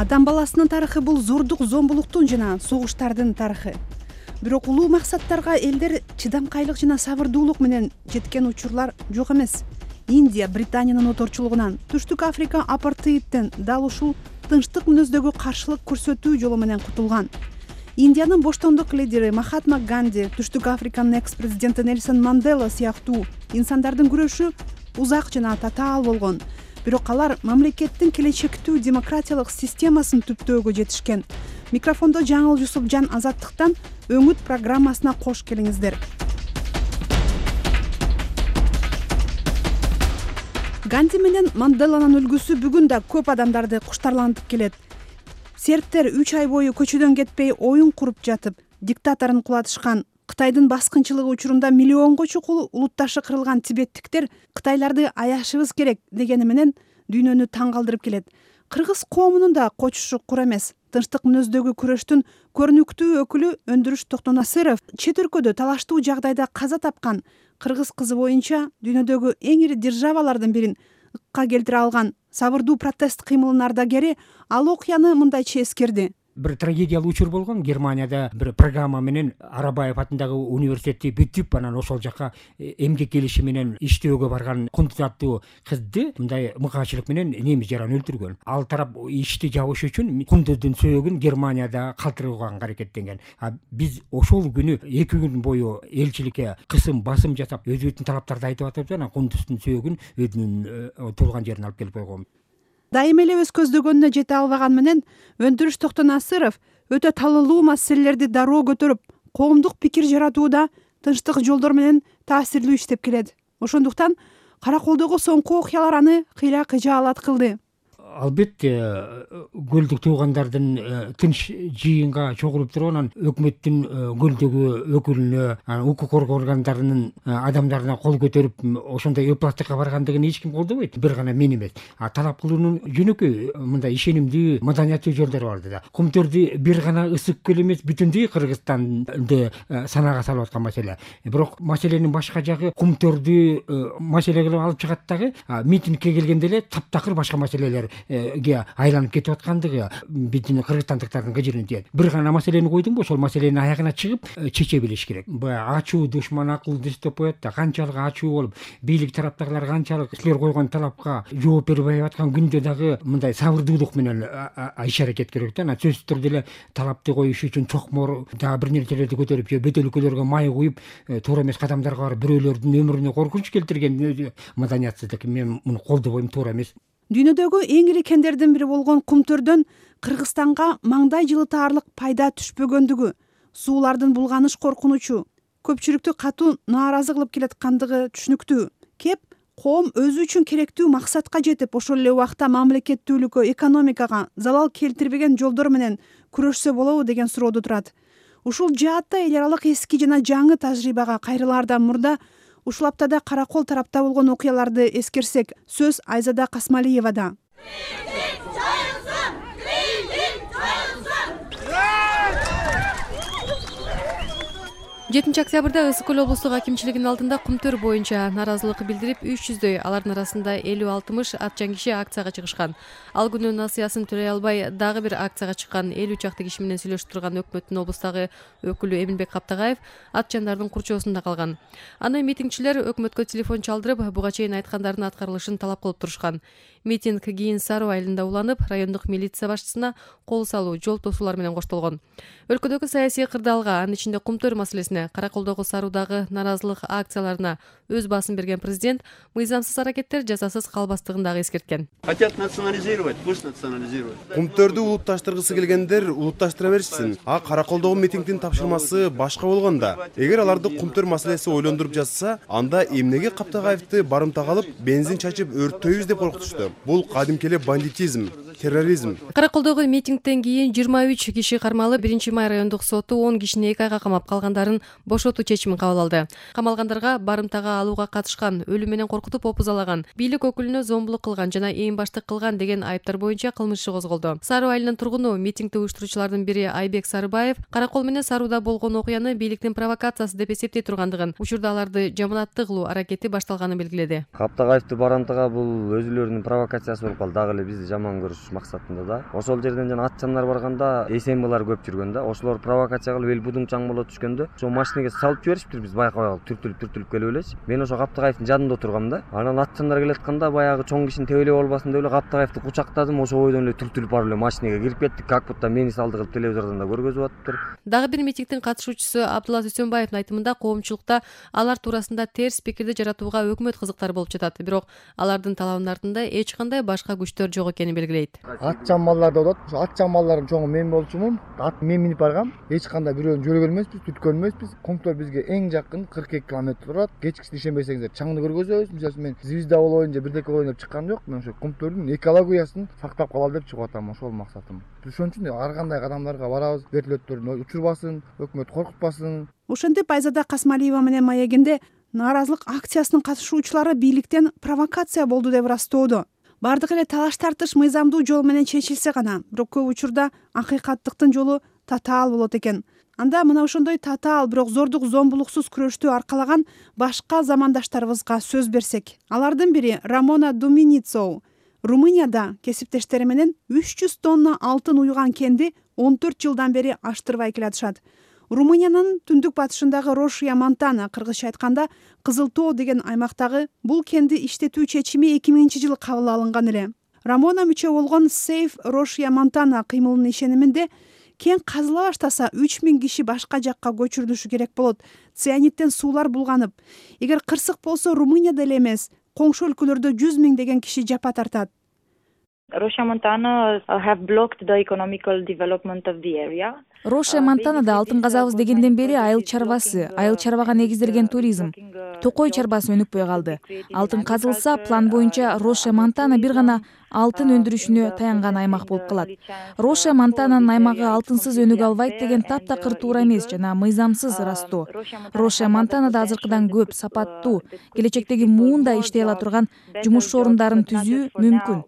Адам баласынын тарыхы бул зордук, зомбулуктун жана согуштардын тарыхы. Бирок улуу максаттарга элдер чыдамкайлык жана сабырдуулук менен жеткен учурлар жок эмес. Индия Британиянын оторчулугунан, Түштүк Африка апартеидден дал ушул тынчтык мүнөздөгү каршылык көрсөтүү жолу менен кутулган. Индиянын боштондук лидери Махатма Ганди, Түштүк Африканын экс-президенти Нельсон Мандела сыяктуу инсандардын күрөшү узак жана татаал болгон. Бирок алар мамлекеттин келечектүү демократиялык системасын түптөөгө жетишкен. Микрофондо Жаңыл Жусупжан Азаттыктан Өңүт программасына кош келиңиздер. Ганди менен Манделанын үлгүсү бүгүн да көп адамдарды куштарлантып келет. Сербтер 3 ай бою көчөдөн кетпей оюн куруп жатып, диктаторун кулатышкан. Кытайдын баскынчылыгы учурунда миллионго чукул улутташы кырылган тибеттиктер Кытайларды аяшыбыз керек дегени менен дүйнөнү таң калтырып келет. Кыргыз коомунун да кочушу кур эмес. Тынчтык мүнөздөгү күрөштүн көрүнүктүү өкүлү Өндүрүш Токтонасыров чет өлкөдө талаштуу жагдайда каза тапкан кыргыз кызы боюнча дүйнөдөгү эң ири державалардын бирин ыкка келтире алган сабырдуу протест кыймылынын ардагери ал окуяны мындайча эскерди. Бир трагедиялуу учур болгон. Германияда бир программа менен Арабаев атындагы университетти бүтүп, анан ошол жака эмгек келиши менен иштөөгө барган кунтуз аттуу кызды мындай мыкаачылык менен немис жаран өлтүргөн. Ал тарап ишти жабыш үчүн кунтуздун сөөгүн Германияда калтырууга аракеттенген. Биз ошол күнү 2 күн бою элчиликке кысым басым жасап, өзүбүздүн талаптарды айтып атып, анан кунтуздун сөөгүн өзүнүн туулган жерине алып келип койгон. Дайым эле өз көздөгөнүнө жете албаган менен Өндүрүш Токтонасыров өтө талылуу маселелерди дароо көтөрүп, коомдук пикир жаратууда тынчтык жолдор менен таасирлүү иштеп келет. Ошондуктан Караколдогу соңку окуялар аны кыйла кыжаалат кылды. Албетте, көлдүк туугандардын тынч жыйынга чогулуп туруп, анан өкмөттүн көлдөгү өкүлүнө, укук коргоо органдарынын адамдарына кол көтөрүп, ошондой ыплаттыкка баргандыгын эч ким колдобойт. Бир гана мен эмес. Талап кылуунун жөнөкөй мындай ишенимдүү, маданияттуу жолдору бар да. Кумтөрдү бир гана ысык көл эмес, бүтүндөй Кыргызстанды санаага салып аткан маселе. Бирок маселенин башка жагы кумтөрдү маселе кылып алып чыгат дагы, митингке келгенде эле таптакыр башка маселелер айланып кетип аткандыгы биздин кыргызстандыктардын кыжырын тиет. Бир гана маселени койдуңбу, ошол маселенин аягына чыгып чече билиш керек. Баягы ачуу душман акылдыс деп коет да, канчалык ачуу болуп, бийлик тараптагылар канчалык силер койгон талапка жооп бербей аткан күндө дагы мындай сабырдуулук менен иш аракет керек да. Сөзсүз түрдө эле талапты коюш үчүн чокмор дагы бир нерселерди көтөрүп, же бөт өлкөлөргө май куюп, туура эмес кадамдарга барып бирөөлөрдүн өмүрүнө коркунуч келтирген маданиятсыздык. Мен муну колдобойм, туура эмес. Дүйнөдөгү эң ири кендердин бири болгон Кумтөрдөн Кыргызстанга маңдай жылытаарлык пайда түшпөгөндүгү, суулардын булганыш коркунучу көпчүлүктү катуу нааразы кылып келаткандыгы түшүнүктүү. Кеп коом өзү үчүн керектүү максатка жетип, ошол эле убакта мамлекеттүүлүккө, экономикага залал келтирбеген жолдор менен күрөшсө болобу деген суроодо турат. Ушул жаатта эл аралык эски жана жаңы тажрыйбага кайрылаардан мурда ушул аптада Каракол тарапта болгон окуяларды эскерсек, сөз Айзада Касмалиевада. 7 октябрда Ысык көл облустук акимчилигинин алдында Кумтөр боюнча нааразылык билдирип 300дөй, алардын арасында 50-60 атчан киши акцияга чыгышкан. Ал күнү насыясын төлөй албай дагы бир акцияга чыккан 50 чакты киши менен сүйлөшүп турган өкмөттүн облустагы өкүлү Эминбек Каптагаев атчандардын курчоосунда калган. Аны митингчилер өкмөткө телефон чалдырып, буга чейин айткандардын аткарылышын талап кылып турушкан. Митинг кийин Сару айылында уланып, райондук милиция башчысына кол салуу, жол тосуулар менен коштолгон. Өлкөдөгү саясий кырдаалга, анын ичинде Кумтөр маселесине, Караколдогу Саруудагы нааразылык акцияларына өз баасын берген президент мыйзамсыз аракеттер жазасыз калбастыгын дагы эскерткен. Хотят национализировать, пусть национализируют. Кумтөрдү улутташтыргысы келгендер улутташтыра беришсин. Караколдогу митингдин тапшырмасы башка болгонда. Эгер аларды Кумтөр маселеси ойлондуруп жатса, анда эмнеге Каптагаевди барымтага алып, бензин чачып өрттөйбүз деп коркутушту. Бул кадимки эле бандитизм, терроризм. Караколдогу митингден кийин 23 киши кармалып, 1 май райондук соту 10 кишини 2 айга камап, калгандарын бошотуу чечимин кабыл алды. Камалгандарга барымтага алууга катышкан, өлүм менен коркутуп опузалаган, бийлик өкүлүнө зомбулук кылган жана ээн баштык кылган деген айыптар боюнча кылмыш иши козголду. Саруу айылынын тургуну, митингди уюштуруучулардын бири Айбек Сарыбаев каракол менен Сарууда болгон окуяны бийликтин провокациясы деп эсептей тургандыгын, учурда аларды жаманатты кылуу аракети башталганын белгиледи. Каптагаевди барымтага бул өзүлөрүнүн провокациясы болуп калды, дагы эле бизди жаман көрүш максатында да. Ошол жерден жана атчандар барганда СМБлар көп жүргөн да. Ошолор провокация кылып эл будуңчаң боло түшкөндө ошо машинеге салып жиберишиптир, биз байкабай калып түртүлүп келип элечи. Мен ошо Каптагаевдин жанында отургам да. Анан атчандар келатканда баягы чоң кишини тебелеп албасын деп эле Каптагаевди кучактадым, ошо бойдон эле түртүлүп барып эле машинеге кирип кеттик, как будто мени салды кылып телевизордон да көргөзүп атыптыр. Дагы бир митингдин катышуучусу Абдулла Дүйсөнбаевдин айтымында коомчулукта алар туурасында терс пикирди жаратууга өкмөт кызыктар болуп жатат, бирок алардын талабынын артында эч кандай башка күчтөр жок экенин белгилейт. Атчан малдар деп атат. Ошо атчан малдардын чоңу мен болчумун. Ат мен минип баргам. Эч кандай бирөөнү жөрөгөн эмеспиз, түткөн эмеспиз. Комтор бизге эң жакын 42 километр турат. Кечкисин ишенбесеңиздер, чаңды көргөзөбүз. Мисалы мен звезда болоюн же бирдеке болоюн деп чыккан жок. Мен ошо Комтордун экологиясын сактап калалы деп чыгып атам. Ошол максатым. Ошон үчүн ар кандай кадамдарга барабыз. Вертолеттордун учурбасын, өкмөт коркутпасын. Ошентип Айзада Касмалиева менен маегинде нааразылык акциясынын катышуучулары бийликтен провокация болду деп ырастоодо. Бардык эле талаш тартыш мыйзамдуу жол менен чечилсе гана, бирок көп учурда акыйкаттыктын жолу татаал болот экен. Анда мына ошондой татаал, бирок зордук зомбулуксуз күрөштү аркалаган башка замандаштарыбызга сөз берсек. Алардын бири Рамона Думиницоу. Румынияда кесиптештери менен 300 тонна алтын уйган кенди 14 жылдан бери аштырбай келатышат. Румыниянын түндүк батышындагы Рошия Монтана, кыргызча айтканда Кызыл Тоо деген аймактагы бул кенди иштетүү чечими 2000-жылы кабыл алынган эле. Рамона мүчө болгон Save Рошия Монтана кыймылынын ишениминде кен казыла баштаса 3000 киши башка жакка көчүрүлүшү керек болот. Цианиттен суулар булганып. Эгер кырсык болсо Румынияда эле эмес, коңшу өлкөлөрдө 100 000 деген киши жапа тартат. Рошия Монтана have blocked the economical development of the area. Рошия Монтанада алтын казабыз дегенден бери айыл чарбасы, айыл чарбага негизделген туризм, токой чарбасы өнүкпөй калды. Алтын казылса, план боюнча Рошия Монтана бир гана алтын өндүрүшүнө таянган аймак болуп калат. Рошия Монтананын аймагы алтынсыз өнүгө албайт деген таптакыр туура эмес жана мыйзамсыз ырастоо. Рошия Монтанада азыркыдан көп сапаттуу, келечектеги муунда иштей ала турган жумуш орундарын түзүү мүмкүн.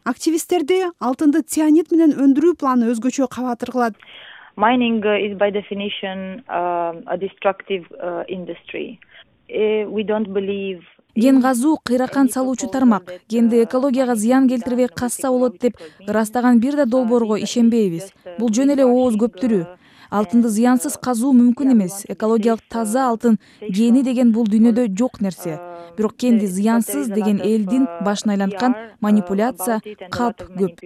Активисттерди алтынды цианид менен өндүрүү планы өзгөчө кабатыр кылат. Mining is by definition a destructive industry. We don't believe Ген казуу кыйракан салуучу тармак. Кенди экологияга зыян келтирбей касса болот деп ырастаган бир да долбоорго ишенбейбиз. Бул жөн эле ооз көптүрүү. Алтынды зыянсыз казуу мүмкүн эмес. Экологиялык таза алтын гени деген бул дүйнөдө жок нерсе. Бирок кенди зыянсыз деген элдин башын айланткан манипуляция, калп көп.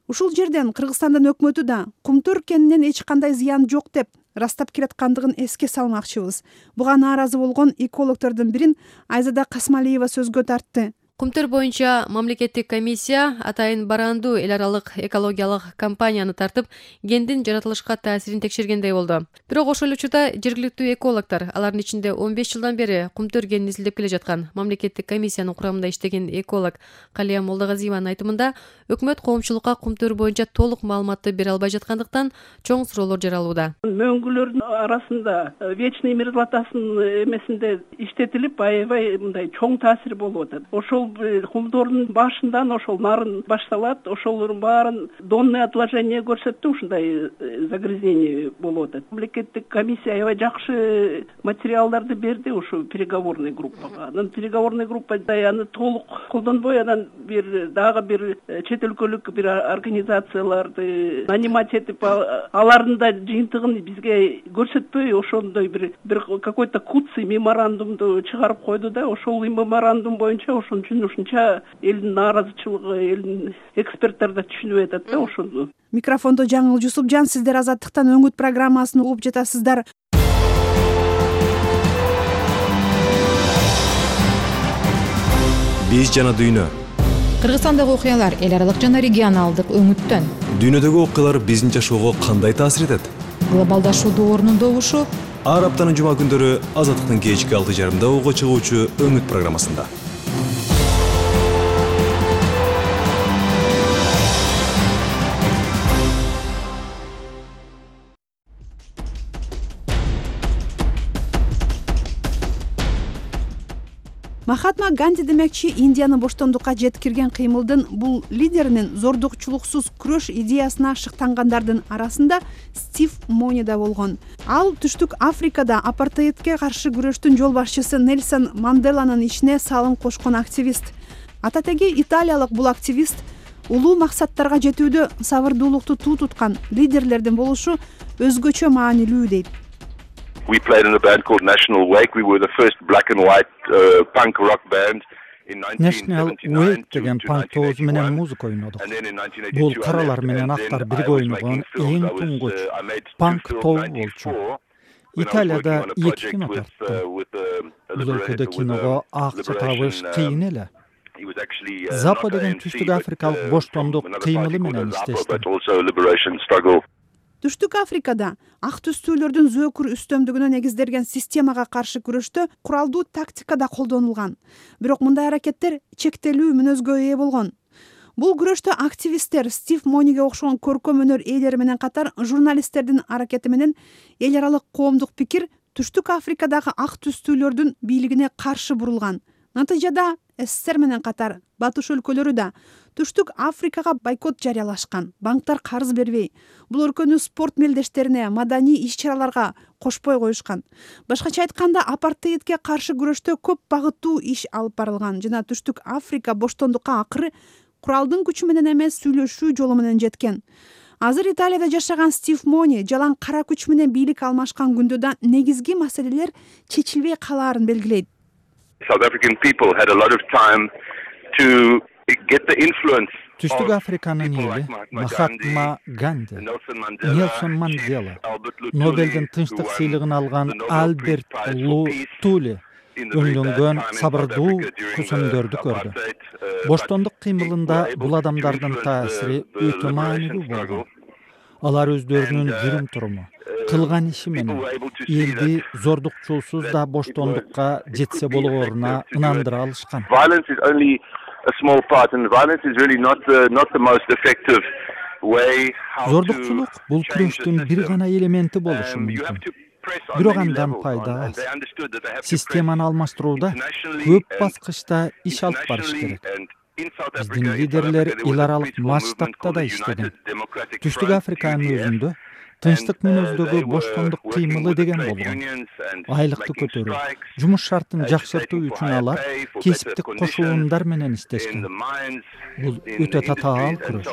Ушул жерден Кыргызстандын өкмөтү да Кумтөр кенинен эч кандай зыян жок деп ырастап келаткандыгын эске салмакчыбыз. Буга нааразы болгон экологдордун бирин Айзада Касмалиева сөзгө тартты. Кумтөр боюнча мамлекеттик комиссия атайын барандуу эл аралык экологиялык компанияны тартып, кендин жаратылышка таасирин текшергендей болду. Бирок ошол учурда жергиликтүү экологдор, алардын ичинде 15 жылдан бери Кумтөр кенин изилдеп келе жаткан мамлекеттик комиссиянын курамында иштеген эколог Калия Молдогазиеванын айтымында, өкмөт коомчулукка Кумтөр боюнча толук маалыматты бере албай жаткандыктан чоң суроолор жаралууда. Мөңгүлөрдүн арасында вечный мир златасын эмесинде иштетилип, аябай мындай чоң таасир болуп атат. Ошол кумдордун башынан ошол нарын башталат, ошолордун баарын донное отложение көрсөттү, ушундай загрязнение болуп атат. Мамлекеттик комиссия аябай жакшы материалдарды берди ушу переговорный группага. Анан переговорный группа аны толук колдонбой, анан дагы бир чет өлкөлүк бир организацияларды нанимать этип, алардын да жыйынтыгын бизге көрсөтпөй, ошондой бир какой-то куцый меморандумду чыгарып койду да, ошол меморандум боюнча ошон үчүн ушунча элдин нааразычылыгы, элдин эксперттер да түшүнүп атат да ошону. Микрофондо Жаңыл Жусупжан, сиздер Азаттыктан өңүт программасын угуп жатасыздар. Биз жана дүйнө. Кыргызстандагы окуялар эл аралык жана регионалдык өңүттөн. Дүйнөдөгү окуялар биздин жашоого кандай таасир этет? Глобалдашуу доорунун добушу. Ар аптанын жума күндөрү Азаттыктын кечки 6:30 угууга чыгуучу өңүт программасында. Махатма Ганди демекчи Индияны боштондукка жеткирген кыймылдын бул лидеринин зордукчулуксуз күрөш идеясына шыктангандардын арасында Стив Мони да болгон. Ал Түштүк Африкада апартеидке каршы күрөштүн жол башчысы Нельсон Манделанын ишине салым кошкон активист. Ататеги италиялык бул активист улуу максаттарга жетүүдө сабырдуулукту туу туткан лидерлердин болушу өзгөчө маанилүү дейт. We played in a band called National Wake. We were the first black and white punk rock band in 1979 National Wake деген панк тобу менен музыка ойнодук. Бул каралар менен актар бирге ойногон эң туңгуч панк тобу болчу. Италияда 2 кино тартты. Бул өлкөдө киного акча табыш кыйын эле. Запа деген Түштүк Африкалык боштондук кыймылы менен иштешти. Түштүк Африкада ак түстүүлөрдүн зөөкүр үстөмдүгүнө негизделген системага каршы күрөштө куралдуу тактика да колдонулган. Бирок мындай аракеттер чектелүү мүнөзгө ээ болгон. Бул күрөштө активисттер Стив Мониге окшогон көркөм өнөр ээлери менен катар журналисттердин аракети менен эл аралык коомдук пикир Түштүк Африкадагы ак түстүүлөрдүн бийлигине каршы бурулган. Натыйжада СССР менен катар батыш өлкөлөрү да Түштүк Африкага бойкот жарыялашкан. Банктар карыз бербей, бул өлкөнүн спорт мелдештерине, маданий иш-чараларга кошпой коюшкан. Башкача айтканда, апартеидке каршы күрөштө көп багыттуу иш алып барылган жана Түштүк Африка боштондукка акыры куралдын күчү менен эмес сүйлөшүү жолу менен жеткен. Азыр Италияда жашаган Стив Мони жалаң кара күч менен бийлик алмашкан күндө да негизги маселелер чечилбей калаарын белгилейт. South African people had a lot of time to get the influence. Түштүк Африканын эли Махатма Ганди, Нелсон Мандела, Нобелдин тынчтык сыйлыгын алган Альберт Лутули өндөнгөн сабырдуу көсөмдөрдү көрдү. Боштондук кыймылында бул адамдардын таасири өтө маанилүү болгон. Алар өздөрүнүн жүрүм-туруму, кылган иши менен элди зордукчулсуз да боштондукка жетсе болгоруна ынандыра алышкан. Violence is only a small part, and violence is really not the most effective way. Зордукчулук бул күрөштүн бир гана элементи болушу мүмкүн. Бирок андан пайда аз. Системаны алмаштырууда көп баскычта иш алып барыш керек. Биздин лидерлер эл аралык масштабта да иштеген. Түштүк Африканын өзүндө тынчтык мүнөздөгү боштондук кыймылы деген болгон. Айлыкты көтөрүү, жумуш шартын жакшыртуу үчүн алар кесиптик кошулундар менен иштешкен. Бул өтө татаал күрөш.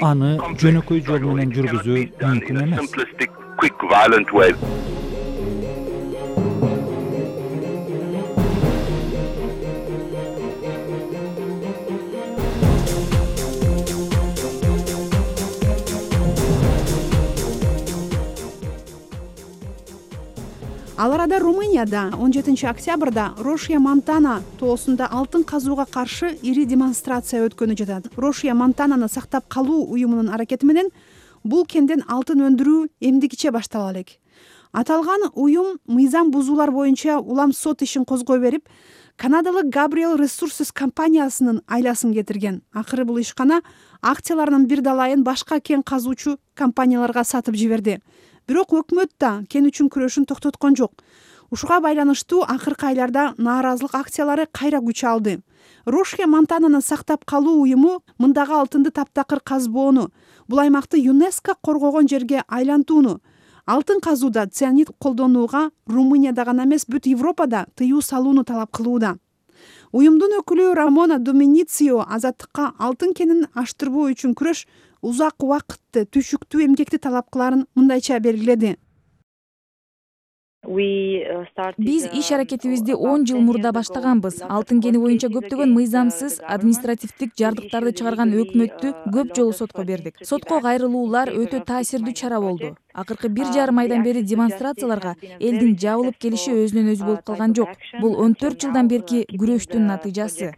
Аны жөнөкөй жол менен жүргүзүү мүмкүн эмес. Ал арада Румынияда 17 октябрда Рошия Монтана тоосунда алтын казууга каршы ири демонстрация өткөнү жатат. Рошия Монтананы сактап калуу уюмунун аракети менен бул кенден алтын өндүрүү эмдигиче баштала элек. Аталган уюм мыйзам бузуулар боюнча улам сот ишин козгой берип, Канадалык Gabriel Resources компаниясынын айласын кетирген. Акыры бул ишкана акцияларынын бир далайын башка кен казуучу компанияларга сатып жиберди. Бирок өкмөт да кен үчүн күрөшүн токтоткон жок. Ушуга байланыштуу акыркы айларда нааразылык акциялары кайра күч алды. Рошия Монтананы сактап калуу уюму мындагы алтынды таптакыр казбоону, бул аймакты ЮНЕСКО коргогон жерге айлантууну, алтын казууда цианид колдонууга Румынияда гана эмес бүт Европада тыюу салууну талап кылууда. Уюмдун өкүлү Рамона Доминицио азаттыкка алтын кенин аштырбоо үчүн күрөш узак убакытты, түшүктүү эмгекти талап кыларын мындайча белгиледи. Биз иш аракетибизди 10 жыл мурда баштаганбыз. Алтын кени боюнча көптөгөн мыйзамсыз административдик жардыктарды чыгарган өкмөттү көп жолу сотко бердик. Сотко кайрылуулар өтө таасирдүү чара болду. Акыркы 1,5 айдан бери демонстрацияларга элдин жабылып келиши өзүнөн өзү болуп калган жок. Бул 14 жылдан берки күрөштүн натыйжасы.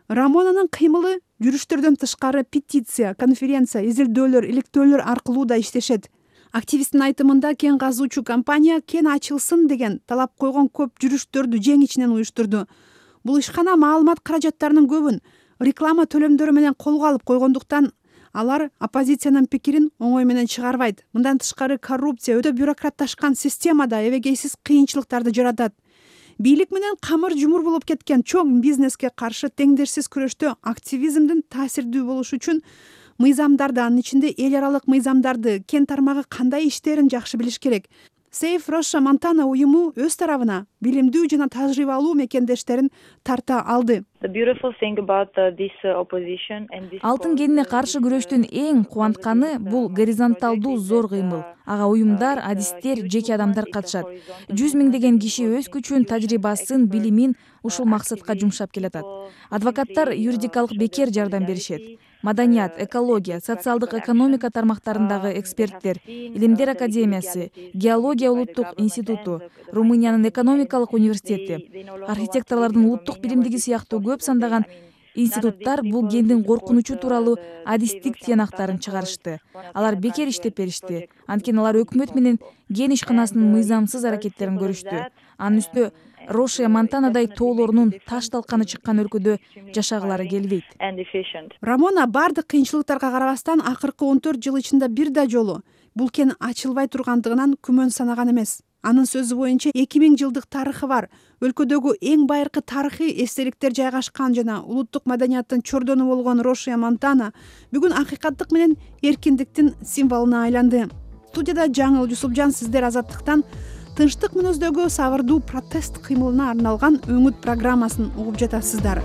Рамонанын кыймылы жүрүштөрдөн тышкары петиция, конференция, изилдөөлөр, иликтөөлөр аркылуу да иштешет. Активисттин айтымында кен казуучу компания кен ачылсын деген талап койгон көп жүрүштөрдү жең ичинен уюштурду. Бул ишкана маалымат каражаттарынын көбүн реклама төлөмдөрү менен колго алып койгондуктан алар оппозициянын пикирин оңой менен чыгарбайт. Мындан тышкары коррупция өтө бюрократташкан системада эбегейсиз кыйынчылыктарды жаратат. бийлик менен камыр жумур болуп кеткен чоң бизнеске каршы теңдешсиз күрөштө активизмдин таасирдүү болушу үчүн мыйзамдарды, анын ичинде эл аралык мыйзамдарды, кен тармагы кандай иштерин жакшы билиш керек. Save Russia Montana уюму өз тарабына билимдүү жана тажрыйбалуу мекендештерин тарта алды. Алтын кенине каршы күрөштүн эң кубантканы бул горизонталдуу зор кыймыл. Ага уюмдар, адистер, жеке адамдар катышат. 100 миңдеген киши өз күчүн, тажрыйбасын, билимин ушул максатка жумшап келатат. Адвокаттар юридикалык бекер жардам беришет. Маданият, экология, социалдык экономика тармактарындагы эксперттер, Илимдер академиясы, Геология улуттук институту, Румыниянын экономикалык университети, архитекторлордун улуттук биримдиги сыяктуу көп сандаган институттар бул кендин коркунучу тууралуу адистик тыянактарын чыгарышты. Алар бекер иштеп беришти. Анткени алар өкмөт менен кен ишканасынын мыйзамсыз аракеттерин көрүштү. Анын үстүнө Рошия Монтанадай тоолорунун таш талканы чыккан өлкөдө жашагылары келбейт. Рамона бардык кыйынчылыктарга карабастан акыркы 14 жыл ичинде бир да жолу бул кен ачылбай тургандыгынан күмөн санаган эмес. Анын сөзү боюнча 2000 жылдык тарыхы бар. Өлкөдөгү эң байыркы тарыхый эстеликтер жайгашкан жана улуттук маданияттын чордону болгон Рошия Монтана бүгүн акыйкаттык менен эркиндиктин символуна айланды. Студияда Жаңыл Жусупжан, сиздер Азаттыктан тынчтык мүнөздөгү сабырдуу протест кыймылына арналган өңүт программасын угуп жатасыздар.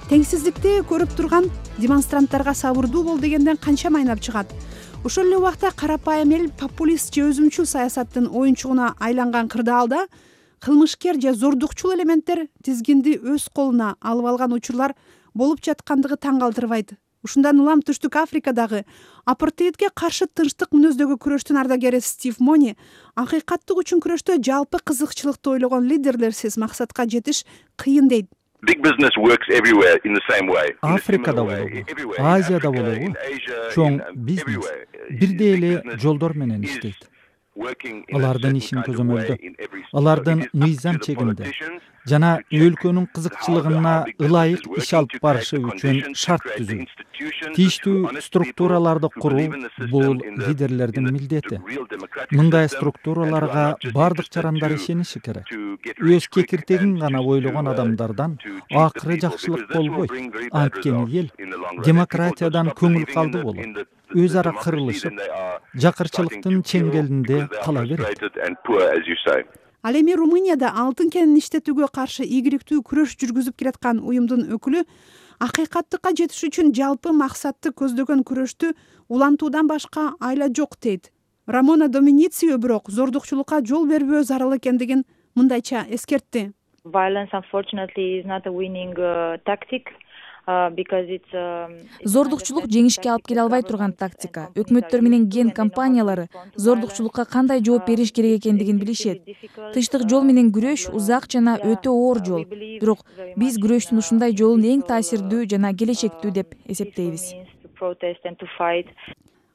Теңсиздикти көрүп турган демонстранттарга сабырдуу бол дегенден канча майнап чыгат. Ошол эле убакта карапайым эл популист же өзүмчүл саясаттын оюнчугуна айланган кырдаалда кылмышкер же зордукчул элементтер тизгинди өз колуна алып алган учурлар болуп жаткандыгы таң калтырбайт. Ушундан улам Түштүк Африкадагы апартеидке каршы тынчтык мүнөздөгү күрөштүн ардагери Стив Мони акыйкаттык үчүн күрөштө жалпы кызыкчылыкты ойлогон лидерлерсиз максатка жетиш кыйын дейт. Африкада болобу, Азияда болобу, чоң бизнес бирдей эле жолдор менен иштейт. Алардын ишин көзөмөлдөп, алардын мыйзам чегинде жана өлкөнүн кызыкчылыгына ылайык иш алып барышы үчүн шарт түзүү, тийиштүү структураларды куруу бул лидерлердин милдети. Мындай структураларга бардык жарандар ишениши керек. Өз кекиртегин гана ойлогон адамдардан акыры жакшылык болбойт. Анткени эл демократиядан көңүл калды болот. Өз ара кырылышып, жакырчылыктын чеңгелинде кала берет. Ал эми Румынияда алтын кенин иштетүүгө каршы ийгиликтүү күрөш жүргүзүп келаткан уюмдун өкүлү акыйкаттыкка жетиш үчүн жалпы максатты көздөгөн күрөштү улантуудан башка айла жок дейт. Рамона Доминицио бирок зордукчулукка жол бербөө зарыл экендигин мындайча эскертти. Зордукчулук жеңишке алып келе албай турган тактика. Өкмөттөр менен кен компаниялары зордукчулукка кандай жооп бериш керек экендигин билишет. Тынчтык жол менен күрөш узак жана өтө оор жол. Бирок биз күрөштүн ушундай жолун эң таасирдүү жана келечектүү деп эсептейбиз.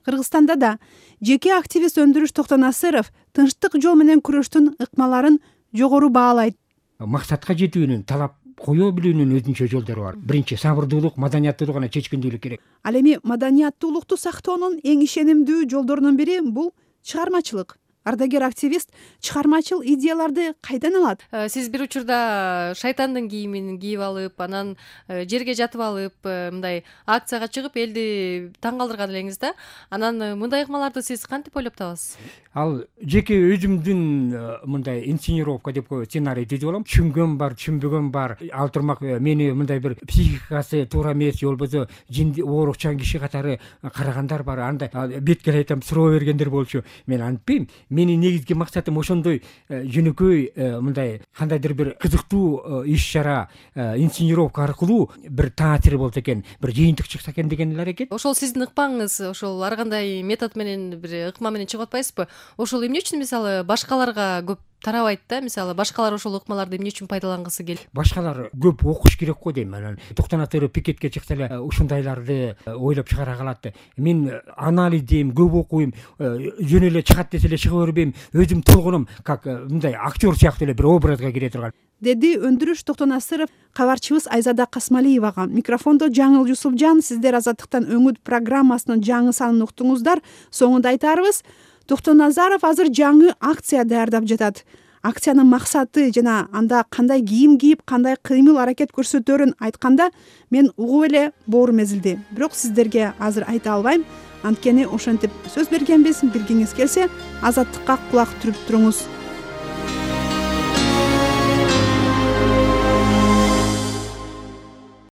Кыргызстанда да жеке активист Өндүрүш Токтонасыров тынчтык жол менен күрөштүн ыкмаларын жогору баалайт. Максатка жетүүнүн талап кое билүүнүн өзүнчө жолдору бар. Биринчи сабырдуулук, маданияттуулук гана чечкиндүүлүк керек. Ал эми маданияттуулукту сактоонун эң ишенимдүү жолдорунун бири бул чыгармачылык. Ардагер активист чыгармачыл идеяларды кайдан алат? Сиз бир учурда шайтандын кийимин кийип алып, анан жерге жатып алып, мындай акцияга чыгып элди таң калтырган элеңиз да. Анан мындай ыкмаларды сиз кантип ойлоп табасыз? Ал жеке өзүмдүн мындай инсценировка деп коет, сценарий түзүп алам. Түшүнгөн бар, түшүнбөгөн бар. Ал турмак мени мындай бир психикасы туура эмес, же болбосо жинди оорукчан киши катары карагандар бар. Андай беткере айтам, суроо бергендер болчу. Мен антпейм. Менин негизги максатым ошондой жөнөкөй мындай кандайдыр бир кызыктуу иш чара, инсценировка аркылуу бир таасир болсо экен, бир жыйынтык чыкса экен деген эле аракет. Ошол сиздин ыкмаңыз, ошол ар кандай метод менен бир ыкма менен чыгып атпайсызбы? Ошол эмне үчүн мисалы башкаларга көп тарабайт да, мисалы башкалар ошол ыкмаларды эмне үчүн пайдалангысы келет? Башкалар көп окуш керек го дейм. Анан токтонатыр пикетке чыкса эле ушундайларды ойлоп чыгара калат. Мен анализ дейм, көп окуйм, жөн эле чыгат десе эле чыга бербейм. Өзүм толгунум, как мындай актер сыяктуу эле бир образга кире турган, деди Өндүрүш Токтонасыров кабарчыбыз Айзада Касмалиевага. Микрофондо Жаңыл Юсупжан. Сиздер Азаттыктан өңүт программасынын жаңы санын уктуңуздар. Соңунда айтарыбыз, Токтоназаров азыр жаңы акция даярдап жатат. Акциянын максаты жана анда кандай кийим кийип, кандай кыймыл аракет көрсөтөрүн айтканда мен угуп эле боорум эзилди. Бирок сиздерге азыр айта албайм. Анткени ошентип сөз бергенбиз. Билгиңиз келсе, Азаттыкка кулак түрүп туруңуз.